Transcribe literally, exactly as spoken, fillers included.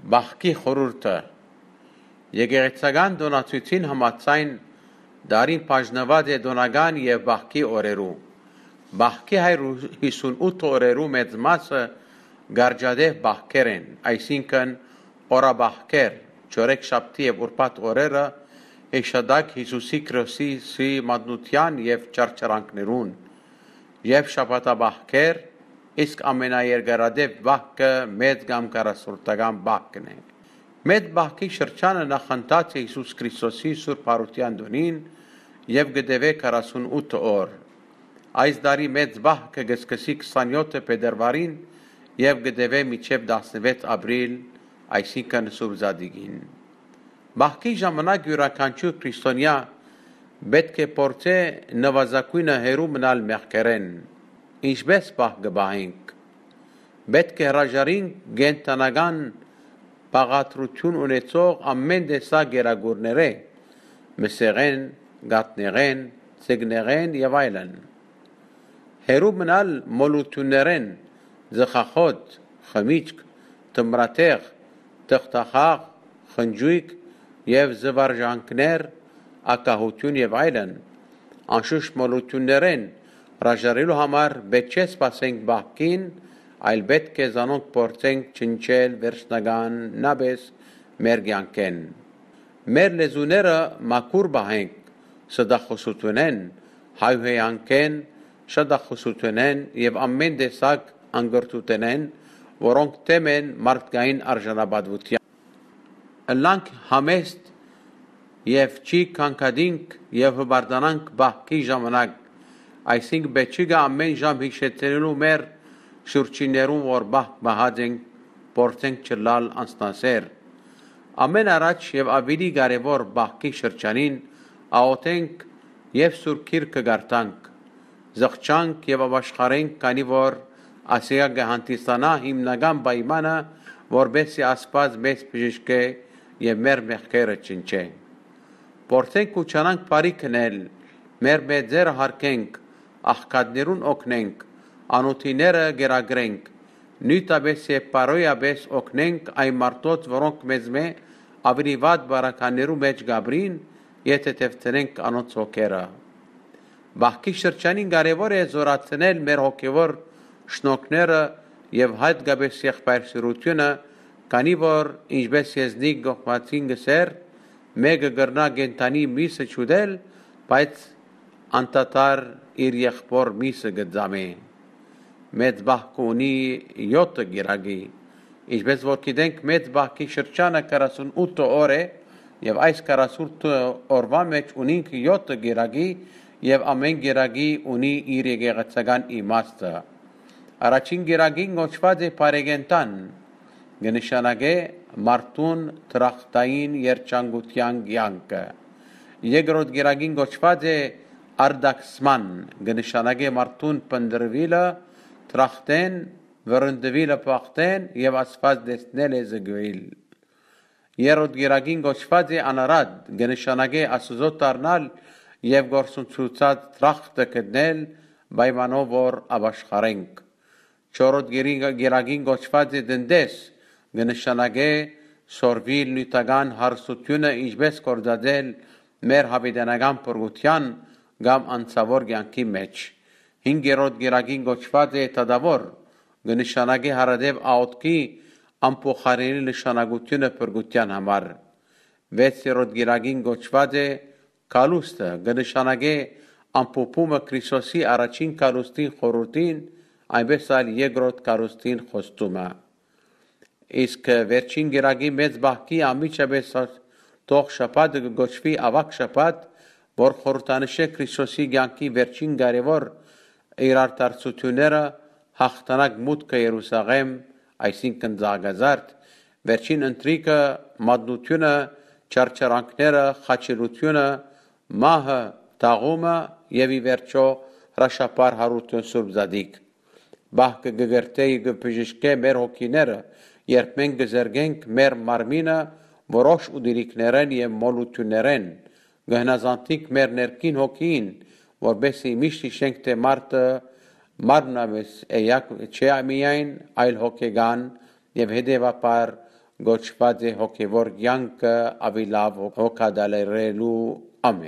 Պահքի խորհուրդը։ Եկեղեցական տօնացոյցին համաձայն, տարին բաժնուած է տօնական եւ պահքի օրերու։ Պահքի հայր յիսունութ օրերու մեծ մասը գարջատեւ պահքեր են, այսինքն՝ օրապահքեր, չորեքշաբթի եւ ուրբաթ օրերը, հեշտատակ Յիսուսի Քրիստոսի մատնութեան եւ չարչարանքներուն, եւ շաբաթապահքեր, իսկ ամենաերկարատեւ պահքը մեծ կամ քառասյունօրական պահքն է։ Մեծ պահքի շրջանը նախընթաց է Յիսուս Քրիստոսի Սուրբ Յարութեան տօնին եւ կը տեւէ քառասյունութ օր։ Այս տարի մեծ պահքը կը սկսի քսանեօթը փետրուարին եւ կը տեւէ մինչեւ տասնեւեթ ապրիլ, այսինքն՝ Սուրբ Զատիկին։ Պահքի ժամանակ իւրաքանչիւր քրիստոնեայ պէտք է փորձէ նուազագոյնը հեռու մնալ մեղքերէն։ Ինչպէս պահ կը պահենք։ Պէտք է հրաժարինք կենդանական բաղադրութիւն ունեցող ամէն տեսակ կերակուրներէ, մսեղէն, կաթնեղէն, ձկնեղէն եւ այլն։ Հեռու մնալ մոլութիւններէն, ծխախոտ, խմիչք, թմրաթեղ, թղթախաղ, խնճոյք եւ զուարճանքներ, ակահութիւն եւ այլն։ Անշուշտ մոլութիւններէն հրաժարելու համար պէտք չէ սպասենք պահքին, այլ պէտք է զանոնք փորձենք ջնջել վերջնականապէս մեր կեանքէն։ Մեր լեզուները մաքուր պահենք ստախոսութենէն, հայհոյանքէն, շատախոսութենէն եւ ամէն տեսակ անկրթութենէն, որոնք դէմ են մարդկային արժանապատուութեան։ Ըլլանք համեստ եւ չի կանգատինք եւ հպարտանանք պահքի ժամանակ, այսինքն՝ պէտք չի գայ ամէն ժամ յիշեցնելու մեր շուրջիններուն, որ պահք պահած ենք, փորձենք չըլլալ անսնասեր։ Ամէն առաջ եւ աւելի կարեւոր պահքի շրջանին աղօթենք եւ Սուրբ Գիրքը կարդանք, զղջանք եւ ապաշխարենք, քանի որ ասիկա կը հանդիսանայ հիմնական պայմանը, որպէս զի Աստուած մեզ բժշկէ եւ մեր մեղքերը ջնջէ։ Փորձենք ու չանանք բարի քնել, մեր մեծերը յարգենք, աղքատներուն օգնենք, անօթիները կերակրենք, նոյնապէս եւ բարոյապէս օգնենք այն մարդոց, որոնք մեզմէ աւելի վատ պարագաներու մէջ կ'ապրին, եթէ թեթեւցնենք անոնց հոգերը։ Պահքի շրջանին կարեւոր է զօրացնել մեր հոգեւոր շնորհքները եւ յատկապէս եղբայրսիրութիւնը, քանի որ, ինչպէս Եզնիկ Կողբացին կ'ըսէր, մէկը կրնայ կենդանի միսը չուտել, բայց անդադար իր եղբօր միսը կը ծամէ։ Մեծ պահքը ունի եօթը կիրակի։ Ինչպէս որ գիտենք, մեծ պահքի շրջանը քառասունութ օր է, եւ այս քառասունութ օրուան մէջ ունինք եօթը կիրակի, եւ ամէն կիրակի ունի իր եկեղեցական իմաստը։ Առաջին կիրակին կոչուած է բարեկենդան, կը նշանակէ մարդուն դրախտային երջանկութեան կեանքը։ Երկրորդ կիրակին կոչուած է արտաքսման, կը նշանակէ մարդուն փնտռուիլը դրախտէն, վռնդուիլը բախտէն եւ Աստուած տեսնել է զգոյլ։ Երրորդ կիրակին կոչուած է անարատ, կը նշանակէ Աստուծոյ դառնալ եւ գործընծուցած դրախտը գտնել պայմանով, որ ապաշխարենք։ Չորրորդ գերի-, գերագին կոչուած է տնտես, կը նշանակէ սորվիլ նիւթական հարստութիւնը ինչպէս գործածել մեր յաւիտենական փրկութեան կամ անցաւոր կեանքի մէջ։ Հինգերորդ գերագին կոչուած է թադաւոր, կը նշանակէ հարատեւ աօթքի անփոխարինելի նշանակութիւնը փրկութեան համար։ Վեցերորդ գերագին կոչուած է կալուստը, կը նշանակէ ամփոփումը Քրիստոսի առաջին կալուստին խորհուրդին, այնպէս ալ երկրորդ կալուստին խոստումը։ Իսկ վերջին գերագի մեծ բահքի անմիջապէս արտող շաբաթը կը կոչուի Աւագ շաբաթ, որ խորհրդանշ է Քրիստոսի կեանքի վերջին կարեւոր իրարդարձութիւնները, յաղթանակ մուտքը Երուսաղէմ, այսինքն Ծաղկազարդ, վերջին ընթրիքը, մատնութիւնը, չարչարանքները, խաչելութիւնը, մահը, թաղումը եւ ի վերջոյ հրաշափառ Յարութիւն Սուրբ Զատիկ։ Բահքը կը կրթէ եւ կը բժշկէ մեր հոգիները, երբ մենք կը զրկենք մեր մարմինը որոշ ուտելիքներէն եւ մոլութիւններէն, կը հնազանդինք մեր ներքին հոգիին, որպէս զի միշտ յիշենք, թէ մարդը մարմնամէս էակ չէ միայն, այլ հոգեկան եւ հետեւաբար կոչուած է հոգեւոր կեանքը աւելի լաւ հոգատալերելու։ Ամէն։